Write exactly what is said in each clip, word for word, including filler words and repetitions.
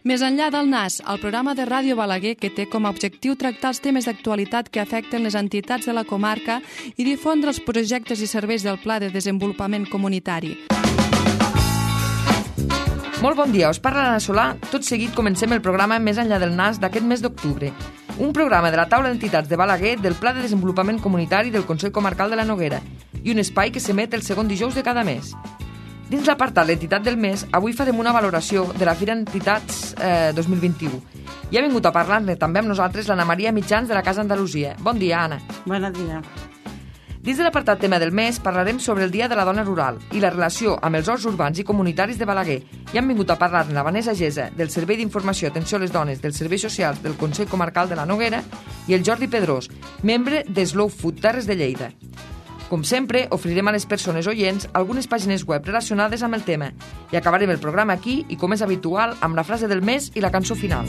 Més enllà del Nas, el programa de Ràdio Balaguer que té com a objectiu tractar els temes d'actualitat que afecten les entitats de la comarca i difondre els projectes i serveis del Pla de Desenvolupament Comunitari. Molt bon dia, us parla l'Anna Solà. Tot seguit comencem el programa Més enllà del Nas d'aquest mes d'octubre. Un programa de la taula d'entitats de Balaguer del Pla de Desenvolupament Comunitari del Consell Comarcal de la Noguera i un espai que s'emet el segon dijous de cada mes. Dins l'apartat l'entitat del mes, avui farem una valoració de la Fira Entitats eh, dos mil vint-i-u. I ha vingut a parlar-ne també amb nosaltres l'Anna Maria Mitjans de la Casa Andalusia. Bon dia, Anna. Bon dia. Dins de l'apartat tema del mes parlarem sobre el Dia de la Dona Rural i la relació amb els horts urbans i comunitaris de Balaguer. I han vingut a parlar-ne la Vanessa Gesa, del Servei d'Informació i Atenció a les Dones dels Serveis Socials del Consell Comarcal de la Noguera, i el Jordi Pedrós, membre de Slow Food Terres de Lleida. Com sempre, oferirem a les persones oients algunes pàgines web relacionades amb el tema i acabarem el programa aquí i, com és habitual, amb la frase del mes i la cançó final.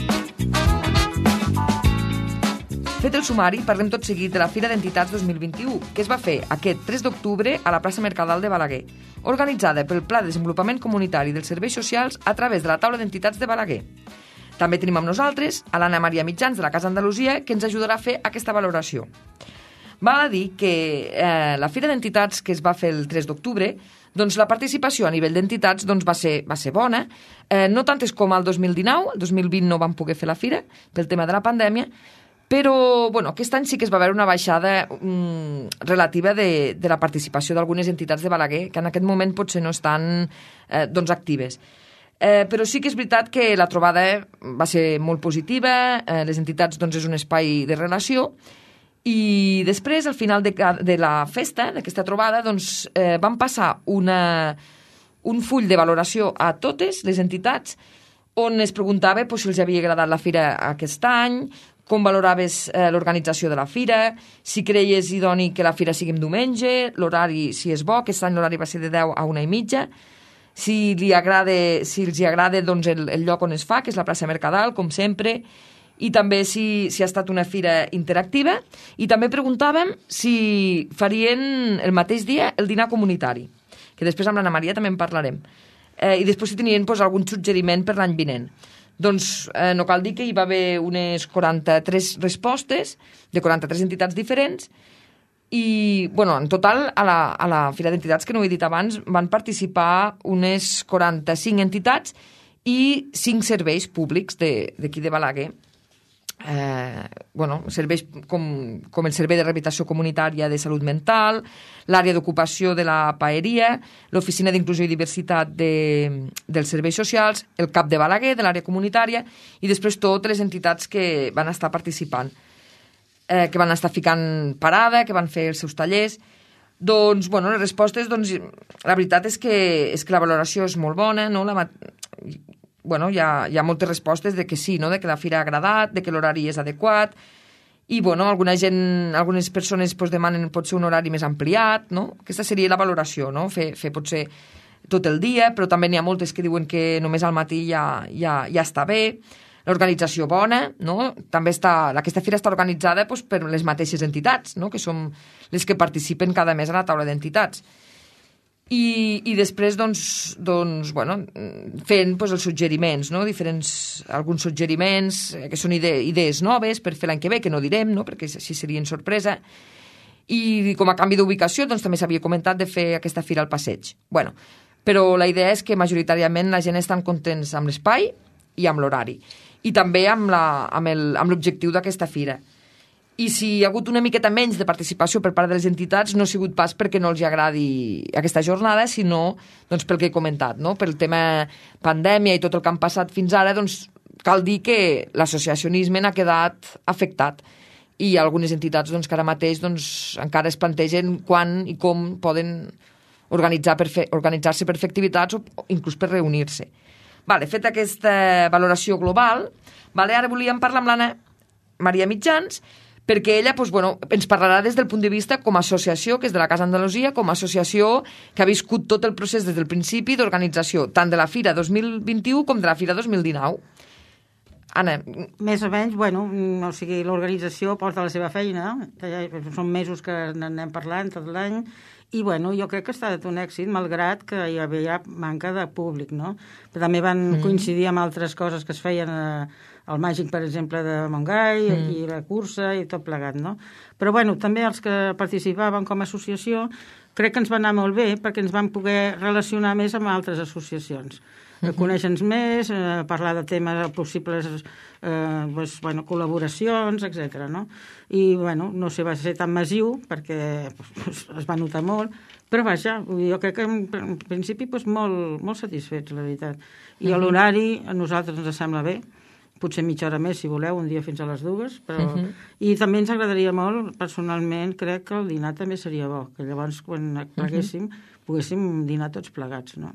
Fet el sumari, parlem tot seguit de la Fira d'Entitats dos mil vint-i-u, que es va fer aquest tres d'octubre a la plaça Mercadal de Balaguer, organitzada pel Pla de Desenvolupament Comunitari dels Serveis Socials a través de la taula d'entitats de Balaguer. També tenim amb nosaltres a l'Anna Maria Mitjans de la Casa Andalusia, que ens ajudarà a fer aquesta valoració. Val a dir que eh, la Fira d'Entitats que es va fer el tres d'octubre, doncs la participació a nivell d'entitats doncs va ser, va ser bona, eh, no tantes com el dos mil dinou, el dos mil vint no vam poder fer la Fira pel tema de la pandèmia, però bueno, aquest any sí que es va veure una baixada mm, relativa de, de la participació d'algunes entitats de Balaguer, que en aquest moment potser no estan eh, doncs actives. Eh, però sí que és veritat que la trobada va ser molt positiva, eh, les entitats doncs, és un espai de relació, i després, al final de, de la festa, d'aquesta trobada, doncs, eh, vam passar una, un full de valoració a totes les entitats on es preguntava pues, si els havia agradat la fira aquest any, com valoraves eh, l'organització de la fira, si creies idoni que la fira sigui en diumenge, l'horari, si és bo, aquest any l'horari va ser de deu a una i mitja, si, li agrada, si els hi agrada doncs, el, el lloc on es fa, que és la plaça Mercadal, com sempre, i també si, si ha estat una fira interactiva, i també preguntàvem si farien el mateix dia el dinar comunitari, que després amb l'Anna Maria també en parlarem, eh, i després si tenien pues, algun suggeriment per l'any vinent. Doncs eh, no cal dir que hi va haver unes quaranta-tres respostes de quaranta-tres entitats diferents i, bueno, en total a la, a la Fira d'Entitats, que no ho he dit abans, van participar unes quaranta-cinc entitats i cinc serveis públics d'aquí de, de Balaguer. Eh, bueno, serveis com, com el Servei de Rehabilitació Comunitària de Salut Mental, l'àrea d'ocupació de la Paeria, l'Oficina d'Inclusió i Diversitat de, dels Serveis Socials, el CAP de Balaguer, de l'àrea comunitària, i després totes les entitats que van estar participant, eh, que van estar ficant parada, que van fer els seus tallers. Doncs, bueno, les respostes, doncs, la veritat és que, és que la valoració és molt bona, no? La bueno, hi ha, hi ha moltes respostes de que sí, no? De que la fira ha agradat, de que l'horari és adequat, i bueno, alguna gent, algunes persones pues, demanen potser un horari més ampliat, no? Aquesta seria la valoració, no? Fer, fer potser tot el dia, però també n'hi ha moltes que diuen que només al matí ja, ja, ja està bé, l'organització bona, no? També està, aquesta fira està organitzada pues, per les mateixes entitats, no? Que són les que participen cada mes a la taula d'entitats. I, i després, doncs, doncs bueno, fent pues, els suggeriments, no? Diferents, alguns suggeriments que són ide idees noves per fer l'any que ve, que no direm, no? Perquè així serien sorpresa. I com a canvi d'ubicació, doncs, també s'havia comentat de fer aquesta fira al passeig. Bueno, però la idea és que majoritàriament la gent estan contents amb l'espai i amb l'horari. I també amb l'objectiu d'aquesta fira. I si hi ha hagut una miqueta menys de participació per part de les entitats, no ha sigut pas perquè no els agradi aquesta jornada, sinó doncs, pel que he comentat, no? Pel tema pandèmia i tot el que han passat fins ara, doncs cal dir que l'associacionisme n'ha quedat afectat i hi ha algunes entitats doncs, que ara mateix doncs, encara es plantegen quan i com poden organitzar per fer, organitzar-se per fer activitats o inclús per reunir-se. Vale, fet aquesta valoració global, vale, ara volíem parlar amb l'Anna Maria Mitjans, perquè ella doncs, bueno, ens parlarà des del punt de vista com a associació, que és de la Casa Andalusia, com a associació que ha viscut tot el procés des del principi d'organització, tant de la Fira dos mil vint-i-u com de la Fira dos mil dinou. Anna. Més o menys, bueno, o sigui, l'organització porta la seva feina, que ja són mesos que n'anem parlant tot l'any, I, bueno, jo crec que ha estat un èxit, malgrat que hi havia manca de públic, no? Però també van mm. coincidir amb altres coses que es feien eh, al Màgic, per exemple, de Montgai, mm. i la cursa i tot plegat, no? Però, bueno, també els que participaven com a associació crec que ens va anar molt bé perquè ens vam poder relacionar més amb altres associacions. Uh-huh. Conèixer-nos més, eh, parlar de temes possibles, eh, doncs, bueno, col·laboracions, etcètera, no? I, bueno, no sé, va ser tan massiu perquè pues, es va notar molt, però vaja, jo crec que en, en principi pues, molt, molt satisfets, la veritat. I uh-huh. l'horari a nosaltres ens sembla bé, potser mitja hora més, si voleu, un dia fins a les dues, però... Uh-huh. I també ens agradaria molt, personalment, crec que el dinar també seria bo, que llavors, quan pleguéssim, uh-huh. poguéssim dinar tots plegats, no?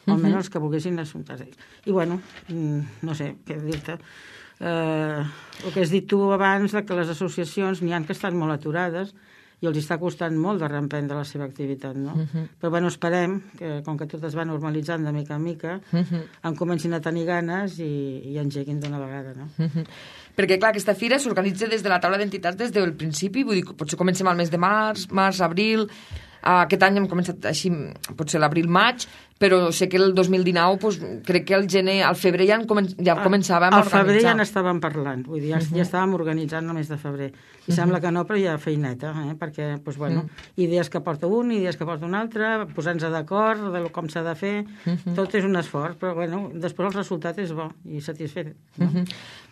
O almenys uh-huh. els que volguessin les juntes d'ells. I, bueno, no sé, què dir-te. Eh, el que has dit tu abans, de que les associacions n'hi ha que estan molt aturades i els està costant molt de reemprendre la seva activitat, no? Uh-huh. Però, bueno, esperem que, com que tot es va normalitzant de mica en mica, uh-huh. en comencin a tenir ganes i, i engeguin d'una vegada, no? Uh-huh. Perquè, clar, aquesta fira s'organitza des de la taula d'entitats des del principi, vull dir, potser comencem al mes de març, març, abril... Aquest any hem començat així, potser l'abril-maig, però sé que el dos mil dinou doncs, crec que al gener, al febrer ja, comen ja començàvem a organitzar. Al febrer ja n'estàvem parlant, vull dir, ja, uh-huh. ja estàvem organitzant el mes de febrer. I uh-huh. sembla que no, però hi ha feineta, eh? Perquè, doncs, bueno, uh-huh. idees que porta un, idees que porta un altre, posant-se d'acord de com s'ha de fer, uh-huh. tot és un esforç, però, bueno, després el resultat és bo i satisfet. No? Uh-huh.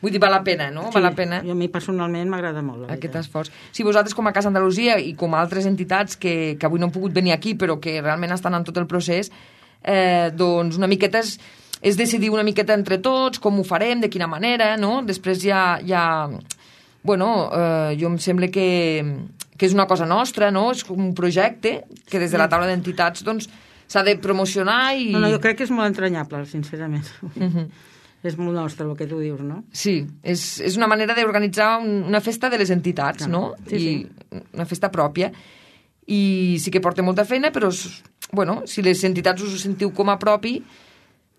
Vull dir, val la pena, no? Sí, val la pena. A mi personalment m'agrada molt. Aquest esforç. Si vosaltres, com a Casa Andalusia i com a altres entitats que, que avui no han pogut venir aquí, però que realment estan en tot el procés, eh, doncs una miqueta és, és decidir una miqueta entre tots com ho farem, de quina manera, no? Després ja... ja bueno, eh, jo em sembla que, que és una cosa nostra, no? És com un projecte que des de la taula d'entitats doncs s'ha de promocionar i... No, no, jo crec que és molt entranyable, sincerament. Uh-huh. És molt nostre el que tu dius, no? Sí, és, és una manera d'organitzar un, una festa de les entitats, no? Sí, I sí. Una festa pròpia. I sí que porta molta feina, però, bueno, si les entitats us ho sentiu com a propi,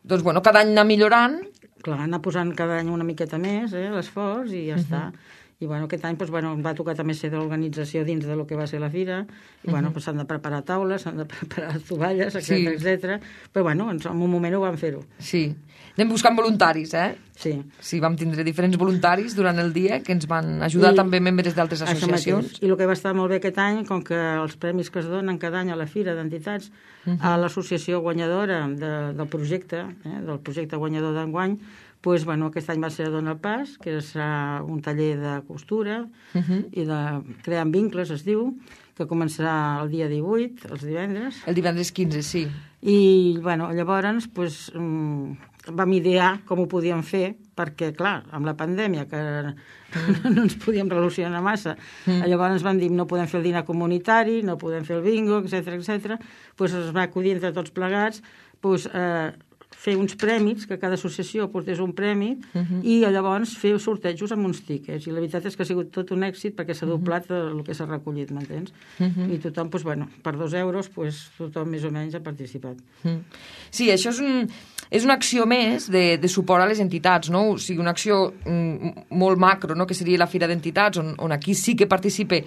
doncs, bueno, cada any anar millorant. Clar, anar posant cada any una miqueta més, eh, l'esforç, i ja uh-huh. està. I, bueno, aquest any, doncs, bueno, va tocar també ser de l'organització dins de lo que va ser la fira, i, bueno, uh-huh. doncs, s'han de preparar taules, s'han de preparar tovalles, etcètera, sí. etcètera. Però, bueno, en un moment ho vam fer-ho. Sí. Anem buscant voluntaris, eh? Sí. Sí, vam tindre diferents voluntaris durant el dia que ens van ajudar I, també membres d'altres associacions. I el que va estar molt bé aquest any, com que els premis que es donen cada any a la fira d'entitats, uh-huh. a l'associació guanyadora de, del projecte, eh, del projecte guanyador d'enguany, pues, bueno, aquest any va ser a Dona el Pas, que serà un taller de costura uh-huh. i de creant vincles, es diu, que començarà el dia divuit, els divendres. El divendres quinze, sí. I, bueno, llavors, pues, um, vam idear com ho podíem fer, perquè, clar, amb la pandèmia, que mm. no ens podíem relacionar massa, mm. llavors vam dir, no podem fer el dinar comunitari, no podem fer el bingo, etcètera, etcètera. Pues es va acudir entre tots plegats, pues, eh, fer uns prèmits, que cada associació portés un premi, uh-huh. i llavors fer sortejos amb uns tíquets. I la veritat és que ha sigut tot un èxit perquè s'ha doblat uh-huh. el que s'ha recollit, m'entens? Uh-huh. I tothom, doncs, bueno, per dos euros, doncs, tothom més o menys ha participat. Uh-huh. Sí, això és, un, és una acció més de, de suport a les entitats, no? O sigui, una acció mm, molt macro, no? Que seria la Fira d'Entitats, on, on aquí sí que participe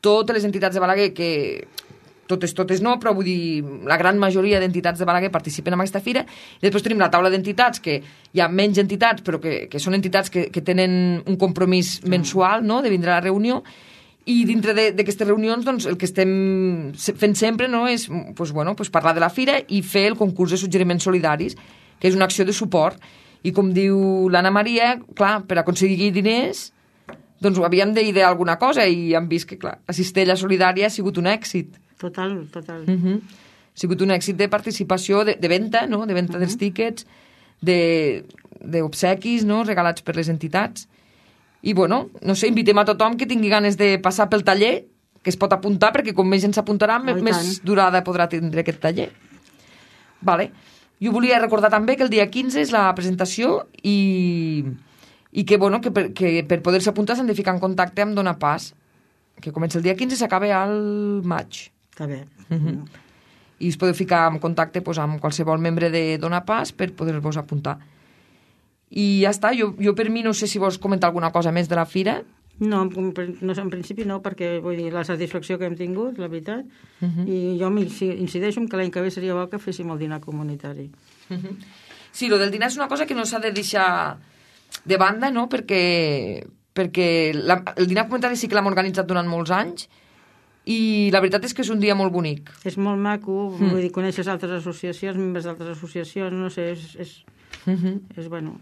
totes les entitats de Balaguer que... totes, totes no, però vull dir, la gran majoria d'entitats de Balaguer participen en aquesta fira, i després tenim la taula d'entitats, que hi ha menys entitats, però que, que són entitats que, que tenen un compromís mensual, no?, de vindre a la reunió, i dintre d'aquestes reunions, doncs, el que estem fent sempre, no?, és, pues, bueno, pues, parlar de la fira i fer el concurs de suggeriments solidaris, que és una acció de suport, i com diu l'Anna Maria, clar, per aconseguir diners, doncs havíem d'idear alguna cosa, i hem vist que, clar, la cistella solidària ha sigut un èxit. Total, total. Uh-huh. Ha sigut un èxit de participació, de, de venda, no?, de venda uh-huh. dels tíquets, d'obsequis, no?, regalats per les entitats. I, bueno, no sé, invitem a tothom que tingui ganes de passar pel taller, que es pot apuntar, perquè com més gent s'apuntarà, oh, més durada podrà tindre aquest taller. Vale. Jo volia recordar també que el dia quinze és la presentació i, i que, bueno, que per, que per poder-se apuntar s'han de ficar en contacte amb Dona Pas, que comença el dia quinze i s'acaba al maig. Està bé. Uh-huh. I us podeu ficar en contacte pues, amb qualsevol membre de Dona Pas per poder-vos apuntar. I ja està. Jo, jo per mi no sé si vols comentar alguna cosa més de la fira. No, en, no, en principi no, perquè vull dir, la satisfacció que hem tingut, la veritat, uh -huh. i jo incideixo en que l'any que ve seria bo que féssim el dinar comunitari. Uh -huh. Sí, el del dinar és una cosa que no s'ha de deixar de banda, no?, perquè, perquè la, el dinar comunitari sí que l'hem organitzat durant molts anys i la veritat és que és un dia molt bonic. És molt maco, mm. vull dir, coneixes altres associacions, membres d'altres associacions, no sé, és, és, uh -huh. és bueno...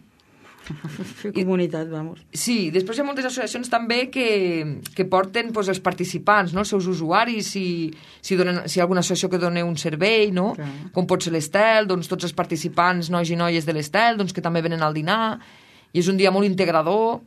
fer comunitat, vamos. Sí, després hi ha moltes associacions també que, que porten pues, els participants, no?, els seus usuaris, si, si, donen, si hi ha alguna associació que doni un servei, no?, clar. Com pot ser l'Estel, doncs tots els participants, nois i noies de l'Estel, doncs que també venen al dinar, i és un dia molt integrador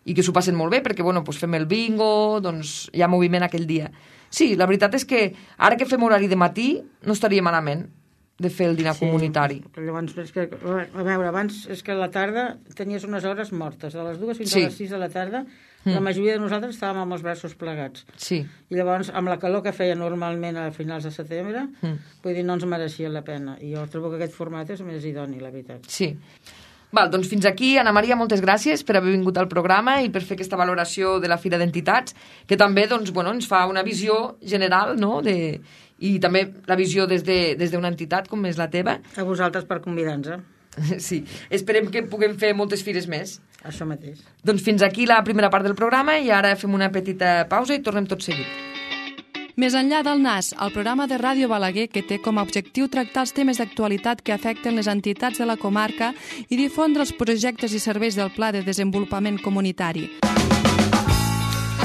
i que s'ho passen molt bé perquè, bueno, pues, fem el bingo, doncs hi ha moviment aquell dia. Sí, la veritat és que ara que fem horari de matí no estaria malament de fer el dinar sí, comunitari. Llavors, és que, a veure, abans és que a la tarda tenies unes hores mortes, de les dues fins sí. a les sis de la tarda, mm. la majoria de nosaltres estàvem amb els braços plegats. Sí. I llavors, amb la calor que feia normalment a finals de setembre, mm. vull dir, no ens mereixia la pena. I jo trobo que aquest format és més idoni, la veritat. Sí. Val, doncs fins aquí, Ana Maria, moltes gràcies per haver vingut al programa i per fer aquesta valoració de la Fira d'Entitats, que també doncs, bueno, ens fa una visió general, no?, de... i també la visió des d'una de, des entitat com és la teva. A vosaltres per convidar-nos. Sí, esperem que puguem fer moltes fires més. Això mateix. Doncs fins aquí la primera part del programa i ara fem una petita pausa i tornem tot seguit. Més enllà del N A S, el programa de Ràdio Balaguer que té com a objectiu tractar els temes d'actualitat que afecten les entitats de la comarca i difondre els projectes i serveis del Pla de Desenvolupament Comunitari.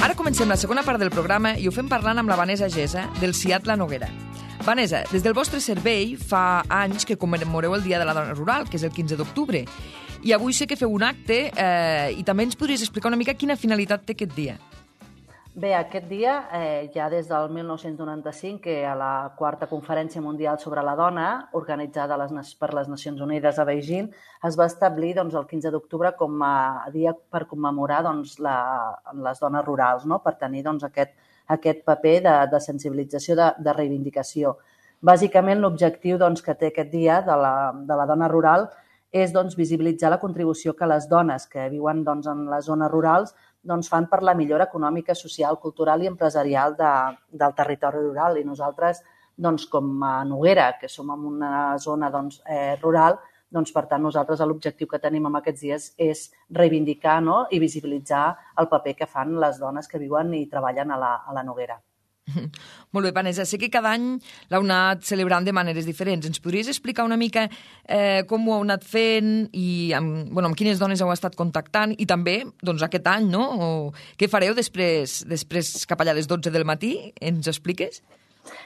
Ara comencem la segona part del programa i ho fem parlant amb la Vanessa Gesa, del C I A T La Noguera. Vanessa, des del vostre servei fa anys que commemoreu el Dia de la Dona Rural, que és el quinze d'octubre, i avui sé que feu un acte eh, i també ens podries explicar una mica quina finalitat té aquest dia. Bé, aquest dia, eh, ja des del mil nou-cents noranta-cinc, que a la quarta Conferència Mundial sobre la Dona, organitzada les, per les Nacions Unides a Beijing, es va establir doncs, el quinze d'octubre com a dia per commemorar doncs, la, les dones rurals, no? Per tenir doncs, aquest, aquest paper de, de sensibilització, de, de reivindicació. Bàsicament, l'objectiu doncs, que té aquest dia de la, de la dona rural és doncs, visibilitzar la contribució que les dones que viuen doncs, en les zones rurals doncs, fan per la millora econòmica, social, cultural i empresarial de, del territori rural. I nosaltres, doncs, com a Noguera, que som en una zona doncs, eh, rural, doncs, per tant, nosaltres l'objectiu que tenim en aquests dies és reivindicar, no?, i visibilitzar el paper que fan les dones que viuen i treballen a la, a la Noguera. Molt bé, Vanessa. Sé que cada any l'heu anat celebrant de maneres diferents. Ens podries explicar una mica eh, com ho heu anat fent i amb, bueno, amb quines dones heu estat contactant i també doncs, aquest any, no? O què fareu després, després cap allà a les dotze del matí? Ens expliques?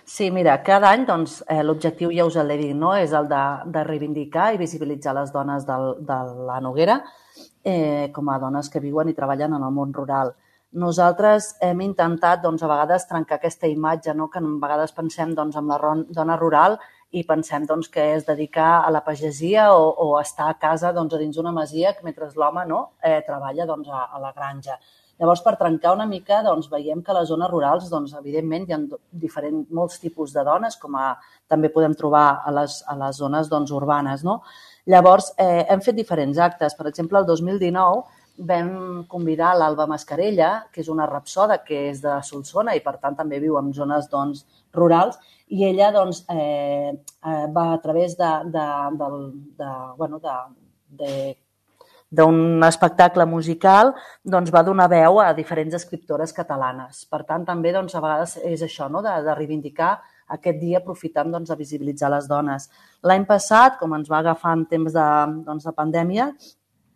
Sí, mira, cada any doncs, eh, l'objectiu ja us l'he dit, no? És el de, de reivindicar i visibilitzar les dones del, de la Noguera eh, com a dones que viuen i treballen en el món rural. Nosaltres hem intentat doncs, a vegades trencar aquesta imatge, no? Que a vegades pensem doncs, en la dona rural i pensem doncs, que és dedicar a la pagesia o, o estar a casa doncs, a dins d'una masia mentre l'home no? eh, treballa doncs, a, a la granja. Llavors, per trencar una mica, doncs, veiem que a les zones rurals, doncs, evidentment, hi ha diferents, molts tipus de dones, com a, també podem trobar a les, a les zones doncs, urbanes. No? Llavors, eh, hem fet diferents actes. Per exemple, el dos mil dinou vam convidar l'Alba Mascarella, que és una rapsoda que és de Solsona i, per tant, també viu en zones doncs, rurals, i ella doncs, eh, va a través de, de, de, de, bueno, de, de d'un espectacle musical, doncs va donar veu a diferents escriptores catalanes. Per tant, també doncs, a vegades és això, no? de, de reivindicar aquest dia aprofitant doncs, de visibilitzar les dones. L'any passat, com ens va agafar en temps de, doncs, de pandèmia,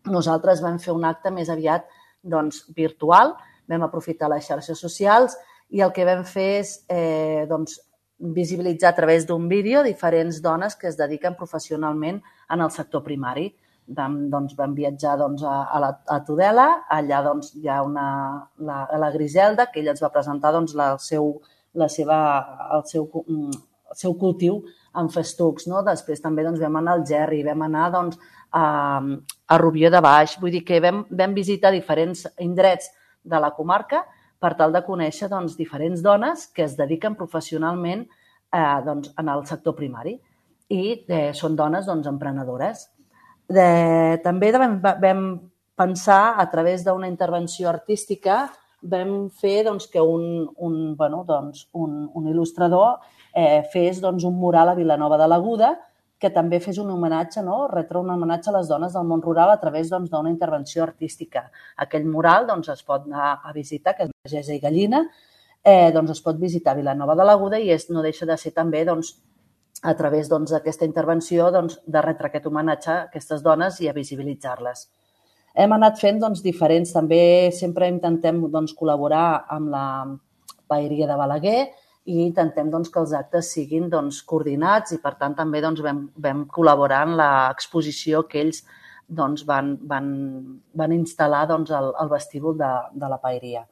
nosaltres vam fer un acte més aviat doncs, virtual, vam aprofitar les xarxes socials i el que vam fer és eh, doncs, visibilitzar a través d'un vídeo diferents dones que es dediquen professionalment en el sector primari. Vam, doncs, vam viatjar doncs, a, a, la, a Tudela, allà doncs, hi ha una, la, la Griselda, que ella ens va presentar doncs, la, el, seu, la seva, el, seu, el seu cultiu en festucs. No? Després també doncs, vam anar al Gerri, vam anar doncs, a, a Rubió de Baix, vull dir que vam, vam visitar diferents indrets de la comarca per tal de conèixer doncs, diferents dones que es dediquen professionalment eh, doncs, en el sector primari i eh, són dones doncs, emprenedores. De, també vam, vam pensar, a través d'una intervenció artística, vam fer doncs, que un, un, bueno, doncs, un, un il·lustrador eh, fes doncs, un mural a Vilanova de l'Aguda que també fes un homenatge, no? retre un homenatge a les dones del món rural a través doncs, d'una intervenció artística. Aquell mural doncs, es pot anar a visitar, que és Pagesa i Gallina, eh, doncs, es pot visitar a Vilanova de l'Aguda i és, no deixa de ser també doncs, a través d'aquesta doncs, intervenció doncs, de retre aquest homenatge a aquestes dones i a visibilitzar-les. Hem anat fent doncs, diferents, també sempre intentem doncs, col·laborar amb la Paeria de Balaguer i intentem doncs, que els actes siguin doncs, coordinats i per tant també doncs, vam, vam col·laborar en l'exposició que ells doncs, van, van, van instal·lar doncs, al, al vestíbul de, de la Paeria.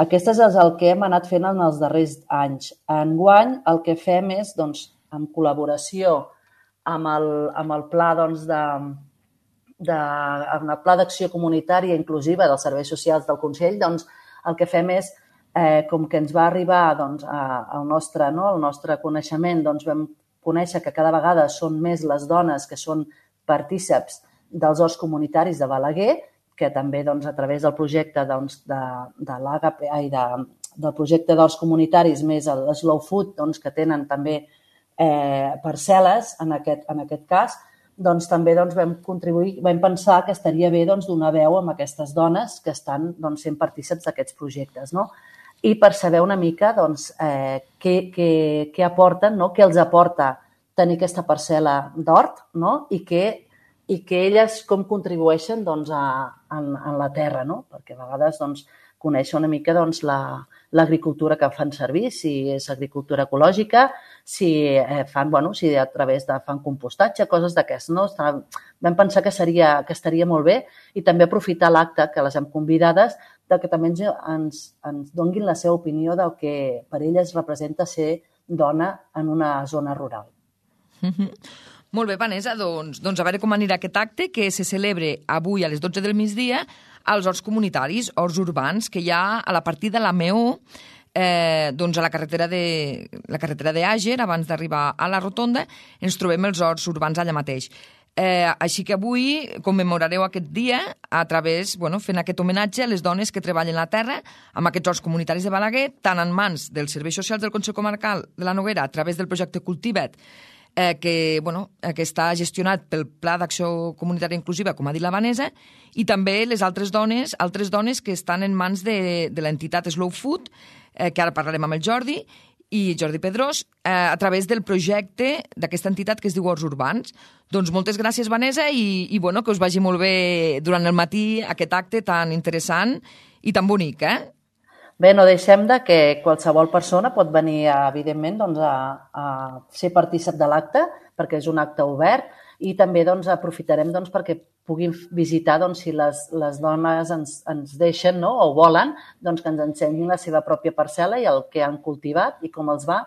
Aquest és el que hem anat fent en els darrers anys. Enguany el que fem és, doncs, en col·laboració amb el, amb el pla doncs, de, de, amb el pla d'acció comunitària inclusiva dels serveis socials del Consell, doncs, el que fem és, eh, com que ens va arribar doncs, a, al, nostre, no, al nostre coneixement, doncs, vam conèixer que cada vegada són més les dones que són partíceps dels horts comunitaris de Balaguer, que també doncs, a través del projecte doncs, de, de l'A G P i de, del projecte d'horts comunitaris més el Slow Food, doncs, que tenen també eh, parcel·les en aquest, en aquest cas, doncs, també doncs, vam contribuir, vam pensar que estaria bé doncs, donar veu a aquestes dones que estan doncs, sent partíceps d'aquests projectes, no? I per saber una mica doncs, eh, què, què, què aporten, no? Què els aporta tenir aquesta parcel·la d'hort, no? I què i que elles com contribueixen doncs, a, en, en la terra, no? Perquè a vegades doncs, conèixer una mica doncs, l'agricultura la, que fan servir, si és agricultura ecològica, si eh, fan, bueno, si a través de fan compostatge, coses d'aquestes. No? Vam pensar que, seria, que estaria molt bé i també aprofitar l'acte que les hem convidades de que també ens, ens, ens donguin la seva opinió del que per elles representa ser dona en una zona rural. Mm-hmm. Molt bé, Vanessa, doncs, doncs a veure com anirà aquest acte que se celebre avui a les dotze del migdia als horts comunitaris, horts urbans, que hi ha a la partida de la Meó, eh, doncs a la carretera de la carretera d'Àger, abans d'arribar a la rotonda, ens trobem els horts urbans allà mateix. Eh, així que avui commemorareu aquest dia a través, bueno, fent aquest homenatge a les dones que treballen la terra amb aquests horts comunitaris de Balaguer, tant en mans dels serveis socials del Consell Comarcal de la Noguera a través del projecte Cultiva't, eh, que, bueno, que està gestionat pel Pla d'Acció Comunitària Inclusiva, com ha dit la Vanessa, i també les altres dones, altres dones que estan en mans de, de l'entitat Slow Food, eh, que ara parlarem amb el Jordi, i Jordi Pedrós, eh, a través del projecte d'aquesta entitat que es diu Horts Urbans. Doncs moltes gràcies, Vanessa, i, i bueno, que us vagi molt bé durant el matí aquest acte tan interessant i tan bonic, eh? Bé, no deixem de que qualsevol persona pot venir, evidentment, doncs, a, a ser partícip de l'acte, perquè és un acte obert, i també doncs, aprofitarem doncs, perquè puguin visitar, doncs, si les, les dones ens, ens deixen, no? O volen, doncs, que ens ensenyin la seva pròpia parcel·la i el que han cultivat i com els va,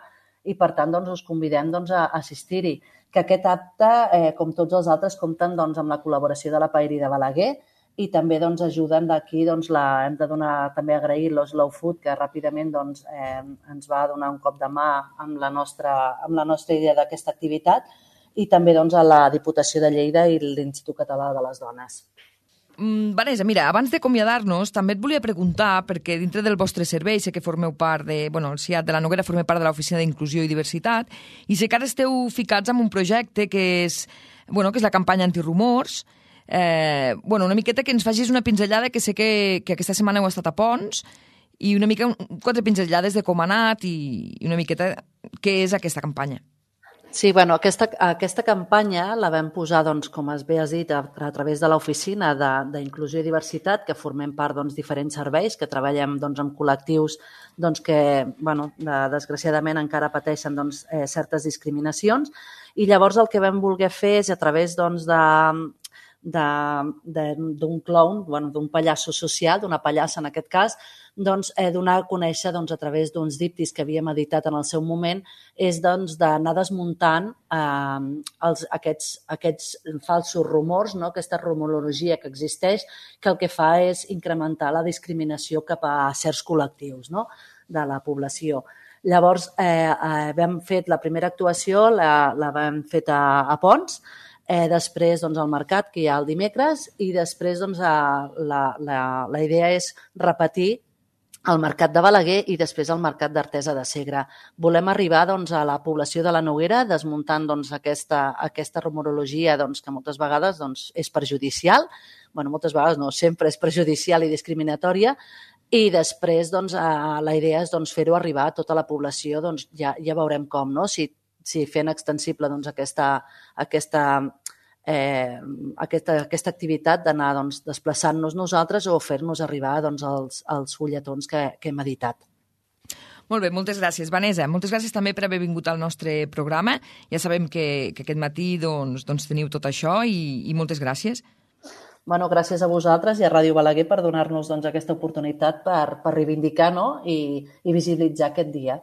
i per tant doncs, us convidem doncs, a assistir-hi. Que aquest acte, eh, com tots els altres, compten doncs, amb la col·laboració de la Paeria de Balaguer, i també doncs, ajuden d'aquí, doncs, la, hem de donar, també agrair l'Slow Food, que ràpidament doncs, eh, ens va donar un cop de mà amb la nostra, amb la nostra idea d'aquesta activitat, i també doncs, a la Diputació de Lleida i l'Institut Català de les Dones. Mm, Vanessa, mira, abans d'acomiadar-nos, també et volia preguntar, perquè dintre del vostre servei sé que formeu part de, bueno, el C I A T de la Noguera forma part de l'Oficina d'Inclusió i Diversitat, i sé que ara esteu ficats en un projecte que és, bueno, que és la campanya antirumors. Eh, bueno, una miqueta que ens facis una pinzellada, que sé que, que aquesta setmana heu estat a Pons, i una mica, quatre pinzellades de com ha anat i, i una miqueta què és aquesta campanya. Sí, bueno, aquesta, aquesta campanya la vam posar, doncs, com es bé has dit, a, a través de l'Oficina d'Inclusió i Diversitat, que formem part doncs, diferents serveis, que treballem doncs, amb col·lectius doncs, que, bueno, de, desgraciadament, encara pateixen doncs, eh, certes discriminacions. I llavors el que vam voler fer és, a través doncs, de d'un clown, bueno, d'un pallasso social, d'una pallassa en aquest cas, doncs, eh, donar a conèixer doncs, a través d'uns díptics que havíem editat en el seu moment, és doncs, d'anar desmuntant eh, els, aquests, aquests falsos rumors, no? Aquesta rumorologia que existeix, que el que fa és incrementar la discriminació cap a certs col·lectius, no? De la població. Llavors, eh, eh, vam fet la primera actuació, la, la vam fet a, a Pons, Eh, després doncs, al mercat, que hi ha el dimecres, i després doncs, a, la, la, la idea és repetir al Mercat de Balaguer i després al Mercat d'Artesa de Segre. Volem arribar doncs, a la població de la Noguera desmuntant doncs, aquesta, aquesta rumorologia doncs, que moltes vegades doncs, és perjudicial, bueno, moltes vegades no, sempre és perjudicial i discriminatòria, i després doncs, la idea és doncs, fer-ho arribar a tota la població, doncs, ja, ja veurem com, no? si, si fent extensible doncs, aquesta, aquesta Eh, aquesta, aquesta activitat d'anar doncs, desplaçant-nos nosaltres o fer-nos arribar doncs, els, els fulletons que, que hem editat. Molt bé, moltes gràcies, Vanessa. Moltes gràcies també per haver vingut al nostre programa. Ja sabem que, que aquest matí doncs, doncs teniu tot això i, i moltes gràcies. Bueno, gràcies a vosaltres i a Ràdio Balaguer per donar-nos doncs, aquesta oportunitat per, per reivindicar, no? I, i visibilitzar aquest dia.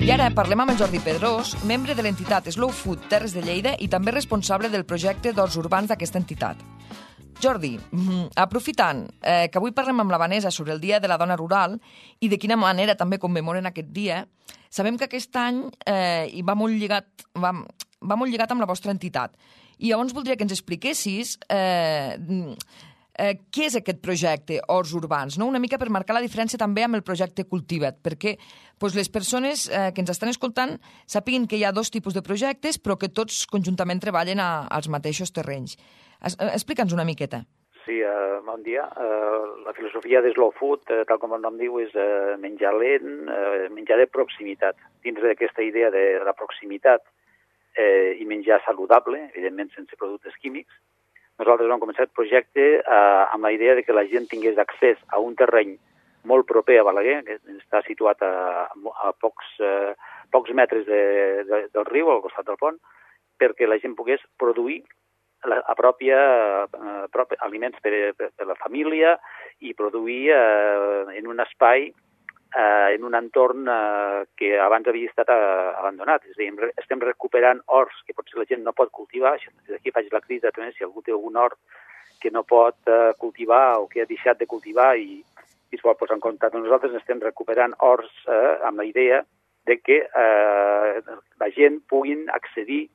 I ara parlem amb el Jordi Pedrós, membre de l'entitat Slow Food Terres de Lleida i també responsable del projecte d'horts urbans d'aquesta entitat. Jordi, aprofitant eh, que avui parlem amb la Vanessa sobre el Dia de la Dona Rural i de quina manera també commemoren aquest dia, sabem que aquest any eh, hi va molt lligat, va, va molt lligat amb la vostra entitat. I llavors voldria que ens expliquessis eh, eh, què és aquest projecte Horts Urbans, no? Una mica per marcar la diferència també amb el projecte Cultiva't, perquè pues, les persones eh, que ens estan escoltant sàpiguen que hi ha dos tipus de projectes, però que tots conjuntament treballen a, als mateixos terrenys. Es, explica'ns una miqueta. Sí, uh, bon dia. Uh, la filosofia de Slow Food, uh, tal com el nom diu, és uh, menjar lent, uh, menjar de proximitat. Dins d'aquesta idea de la proximitat eh, i menjar saludable, evidentment sense productes químics, nosaltres vam començar el projecte uh, amb la idea de que la gent tingués accés a un terreny molt proper a Balaguer, que està situat a, a pocs, uh, pocs metres de, de, del riu, al costat del pont, perquè la gent pogués produir la, a pròpia, uh, pròpia aliments per, per, per la família i produir uh, en un espai, uh, en un entorn uh, que abans havia estat uh, abandonat. És a dir, estem recuperant horts que potser la gent no pot cultivar. Des d'aquí faig la crida també, si algú té algun hort que no pot uh, cultivar o que ha deixat de cultivar i i es vol posar en contacte amb nosaltres, estem recuperant horts eh, amb la idea de que eh, la gent puguin accedir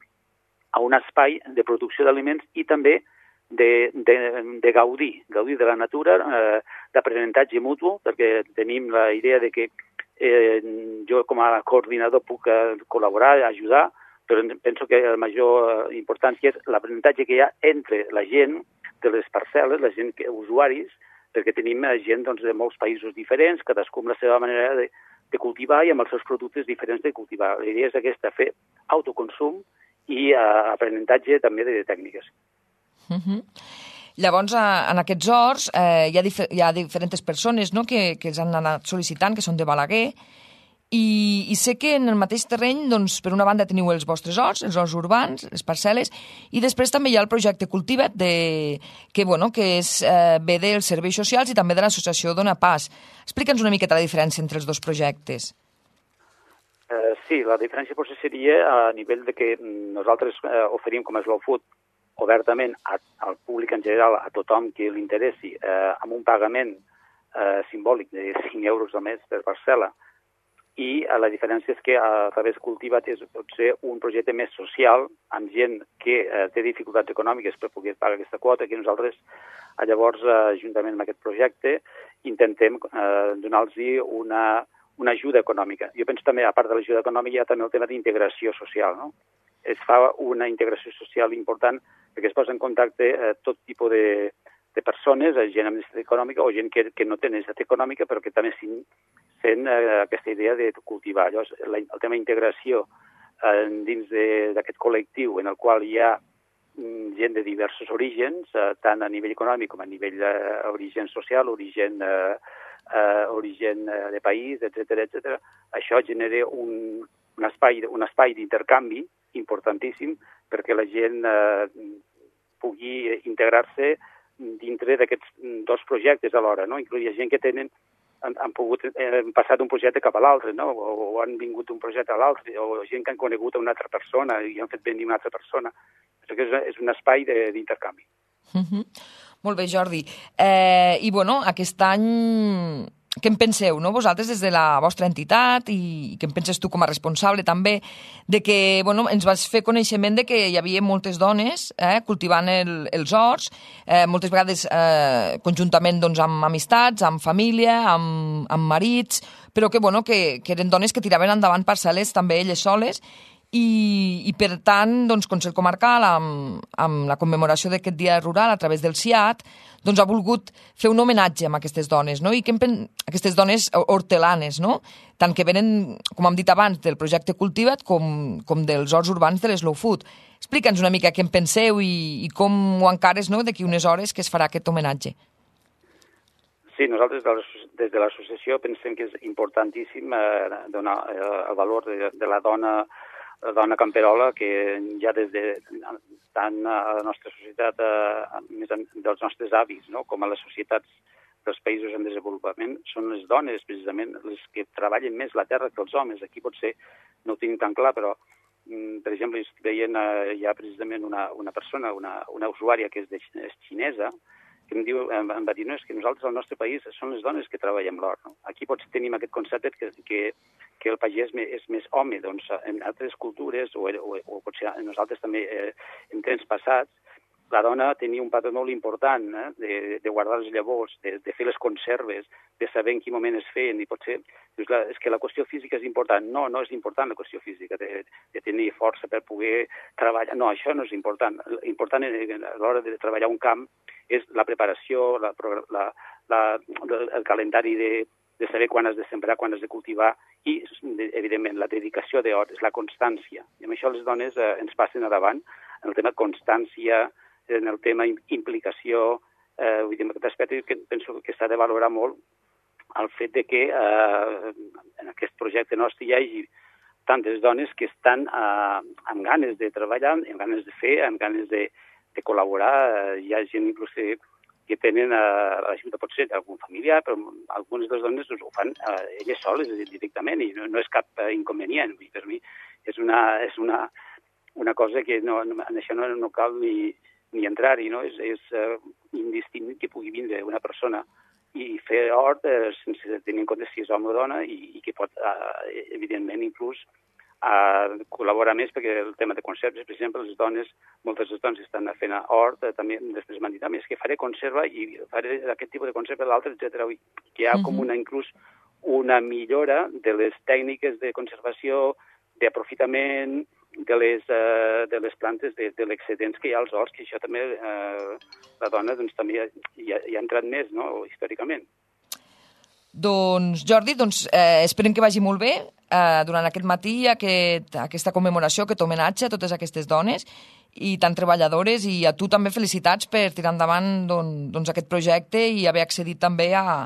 a un espai de producció d'aliments i també de, de, de gaudir, gaudir de la natura, eh, d'aprenentatge mutu, perquè tenim la idea de que eh, jo com a coordinador puc eh, col·laborar, ajudar, però penso que la major importància és l'aprenentatge que hi ha entre la gent de les parcel·les, la gent que, usuaris, perquè tenim gent doncs, de molts països diferents, cadascú amb la seva manera de, de cultivar i amb els seus productes diferents de cultivar. La idea és aquesta, fer autoconsum i uh, aprenentatge també de tècniques. Uh-huh. Llavors, en aquests horts eh, hi, ha dif- hi ha diferents persones no? que, que els han anat sol·licitant, que són de Balaguer, i, i sé que en el mateix terreny, doncs, per una banda teniu els vostres horts, els horts urbans, les parcel·les, i després també hi ha el projecte Cultiva't, de, que, bueno, que és, eh, ve dels serveis socials i també de l'associació Dona Pas. Explica'ns una miqueta la diferència entre els dos projectes. Uh, sí, la diferència potser seria a nivell de que nosaltres uh, oferim com a Slow Food obertament a, al públic en general, a tothom que li interessi, uh, amb un pagament uh, simbòlic de cinc euros al mes per parcel·la, i la diferència és que a través Cultiva't és potser un projecte més social amb gent que eh, té dificultats econòmiques per poder pagar aquesta quota, que nosaltres eh, llavors, eh, juntament amb aquest projecte, intentem eh, donar-los una, una ajuda econòmica. Jo penso també, a part de l'ajuda econòmica, hi ha també el tema d'integració social, no? Es fa una integració social important perquè es posa en contacte eh, tot tipus de, de persones, gent amb necessitat econòmica o gent que, que no té necessitat econòmica però que també sent eh, aquesta idea de cultivar. Llavors, la, el tema d'integració eh, dins d'aquest col·lectiu en el qual hi ha mm, gent de diversos orígens, eh, tant a nivell econòmic com a nivell d'origen social, origen, eh, eh, origen de país, etcètera, etcètera. Això genera un, un espai, un espai d'intercanvi importantíssim perquè la gent eh, pugui integrar-se dintre d'aquests dos projectes alhora, no? Inclús hi ha gent que tenen, han, han pogut eh, passar d'un projecte cap a l'altre, no? O, o han vingut d'un projecte a l'altre, o gent que han conegut una altra persona i han fet venir una altra persona. Perquè és, és un espai d'intercanvi. Uh-huh. Molt bé, Jordi. Eh, I, bueno, aquest any què en penseu, no? Vosaltres des de la vostra entitat i què en penses tu com a responsable també, de que bueno, ens vas fer coneixement de que hi havia moltes dones eh, cultivant el, els horts, eh, moltes vegades eh, conjuntament doncs, amb amistats, amb família, amb, amb marits, però que, bueno, que, que eren dones que tiraven endavant parcel·les també elles soles. I, i per tant, doncs, Consell Comarcal, amb, amb la commemoració d'aquest dia rural a través del C I A T, doncs, ha volgut fer un homenatge a aquestes dones, no? I que pen... aquestes dones hortelanes, no? Tant que venen, com hem dit abans, del projecte Cultiva't com, com dels horts urbans de l'Slow Food. Explica'ns una mica què en penseu i, i com ho encares, no?, d'aquí unes hores que es farà aquest homenatge. Sí, nosaltres des de l'associació pensem que és importantíssim eh, donar eh, el valor de, de la dona la dona camperola, que ja des de tant a la nostra societat, eh, més dels nostres avis, no? Com a les societats dels països en desenvolupament, són les dones, precisament, les que treballen més la terra que els homes. Aquí potser no ho tinc tan clar, però, per exemple, estic veient eh, ja precisament una, una persona, una, una usuària que és, de, és xinesa, que em, diu, em, em va dir, no, és que nosaltres al nostre país són les dones que treballem l'hort. No? Aquí potser tenim aquest concepte que, que, que el pagès és més home. Doncs en altres cultures, o, o, o potser nosaltres també eh, en temps passats, la dona tenia un paper molt important eh, de, de guardar les llavors, de, de fer les conserves, de saber en quin moment es feien, i potser dius, la, és que la qüestió física és important. No, no és important la qüestió física, de, de tenir força per poder treballar. No, això no és important. L'important a l'hora de treballar un camp és la preparació, la, la, la, el calendari de, de saber quan has de sembrar, quan has de cultivar, i, evidentment, la dedicació d'hores, la constància. I amb això les dones eh, ens passen a davant en el tema constància, en el tema implicació, eh, vull dir, en aquest aspecte que penso que s'ha de valorar molt el fet de que eh, en aquest projecte nostre hi hagi tantes dones que estan eh, amb ganes de treballar, amb ganes de fer, amb ganes de, de col·laborar. Eh, hi ha gent inclús que, que tenen eh, l'ajuda potser d'algun familiar, però algunes de les dones doncs, ho fan eh, elles soles directament i no, no és cap eh, inconvenient. I per mi és una, és una, una cosa que no, no, en això no, no cal ni ni entrar-hi, no? És, és uh, indistint que pugui vindre una persona i fer hort eh, sense tenir en compte si és home o dona i, i que pot, uh, evidentment, inclús uh, col·laborar més, perquè el tema de conserves, per exemple, les dones, moltes de les dones estan fent hort, eh, també després m'han dit, és que faré conserva i faré aquest tipus de conserva, l'altre, etcètera. Que hi ha com una, inclús, una millora de les tècniques de conservació, d'aprofitament, de les, uh, de les plantes, de, de l'excedents que hi ha als horts, que això també uh, la dona doncs, també hi ha, hi ha entrat més, no?, històricament. Doncs, Jordi, doncs, eh, esperem que vagi molt bé eh, durant aquest matí aquest, aquesta commemoració, aquest homenatge a totes aquestes dones i tan treballadores, i a tu també felicitats per tirar endavant doncs, doncs aquest projecte i haver accedit també a,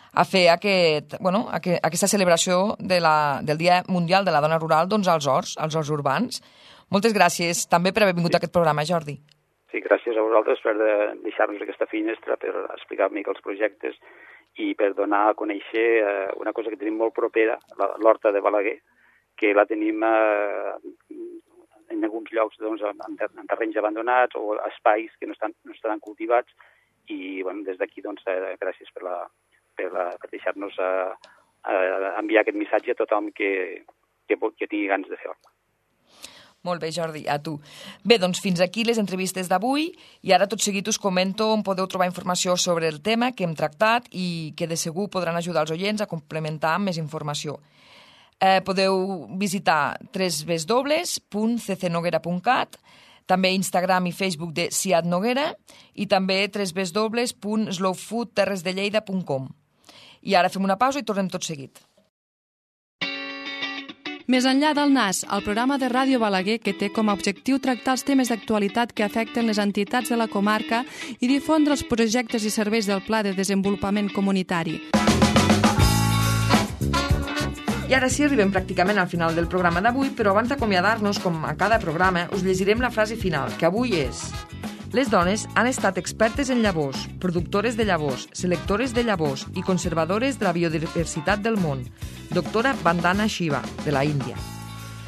a fer aquest, bueno, aquest, aquesta celebració de la, del Dia Mundial de la Dona Rural doncs, als horts, als horts urbans. Moltes gràcies també per haver vingut sí. a aquest programa, Jordi. Sí, gràcies a vosaltres per de deixar-nos aquesta finestra, per explicar una mica els projectes i per donar a conèixer eh, una cosa que tenim molt propera, l'Horta de Balaguer, que la tenim eh, en alguns llocs doncs, en, en terrenys abandonats o espais que no estan, no estan cultivats, i bueno, des d'aquí doncs, eh, gràcies per la per, per deixar-nos uh, uh, enviar aquest missatge a tothom que, que, que tingui ganes de fer hort. Molt bé, Jordi, a tu. Bé, doncs fins aquí les entrevistes d'avui, i ara tot seguit us comento on podeu trobar informació sobre el tema que hem tractat i que de segur podran ajudar els oients a complementar amb més informació. Eh, podeu visitar w w w punt c c noguera punt cat, també Instagram i Facebook de C I A T Noguera, i també w w w punt slow food terres de lleida punt com. I ara fem una pausa i tornem tot seguit. Més enllà del N A S, el programa de Ràdio Balaguer que té com a objectiu tractar els temes d'actualitat que afecten les entitats de la comarca i difondre els projectes i serveis del Pla de Desenvolupament Comunitari. I ara sí, arribem pràcticament al final del programa d'avui, però abans d'acomiadar-nos, com a cada programa, us llegirem la frase final, que avui és: les dones han estat expertes en llavors, productores de llavors, selectores de llavors i conservadores de la biodiversitat del món. Doctora Vandana Shiva, de la Índia.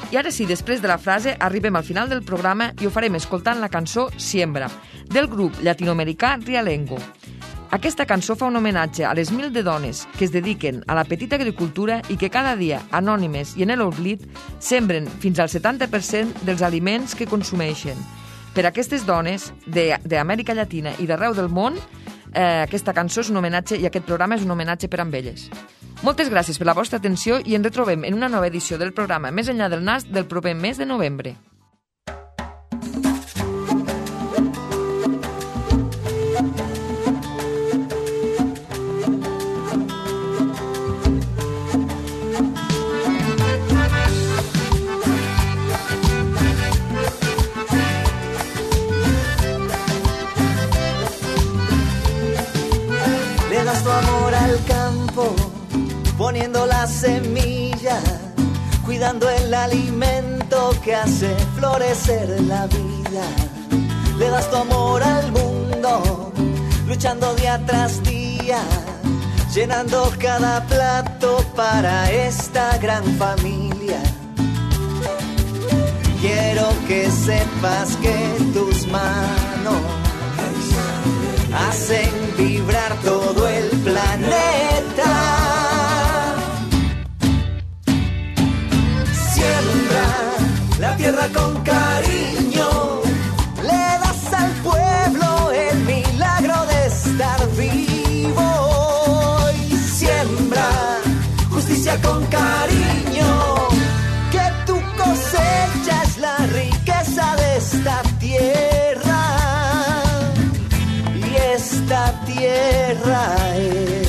I ara sí, després de la frase, arribem al final del programa i ho farem escoltant la cançó Siembra, del grup llatinoamericà Rialengo. Aquesta cançó fa un homenatge a les mil de dones que es dediquen a la petita agricultura i que cada dia, anònimes i en l'oblit, sembren fins al setanta per cent dels aliments que consumeixen. Per a aquestes dones d'Amèrica Llatina i d'arreu del món, eh, aquesta cançó és un homenatge i aquest programa és un homenatge per a elles. Moltes gràcies per la vostra atenció i ens retrobem en una nova edició del programa Més enllà del nas del proper mes de novembre. Le das tu amor al campo, poniendo la semilla, cuidando el alimento que hace florecer la vida. Le das tu amor al mundo, luchando día tras día, llenando cada plato para esta gran familia. Quiero que sepas que tus manos hacen vibrar todo el planeta. Siembra la tierra con cariño, le das al pueblo el milagro de estar vivo. Y siembra justicia con cariño, que tu cosecha es la riqueza de esta tierra. Esta tierra es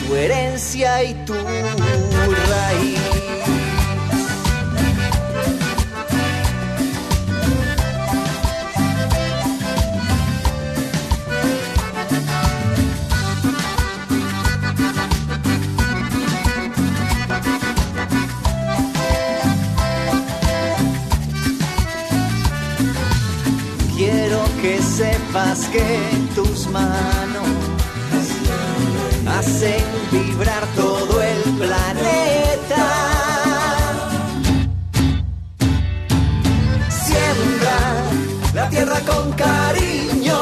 tu herencia y tu raíz. Que sepas que tus manos hacen vibrar todo el planeta. Siembra la tierra con cariño,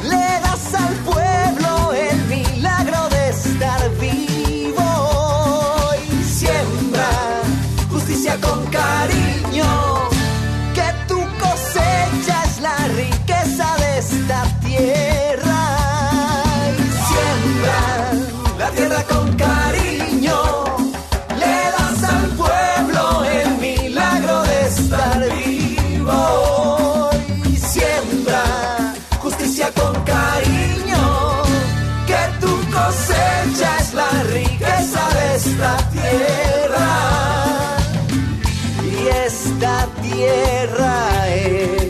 le das al pueblo el milagro de estar vivo. Y siembra justicia con cariño, que tu cosecha es la riqueza de esta tierra. Y siembra la tierra con cariño, le das al pueblo el milagro de estar vivo. Y siembra justicia con cariño, que tu cosecha es la riqueza de esta tierra. Y esta tierra es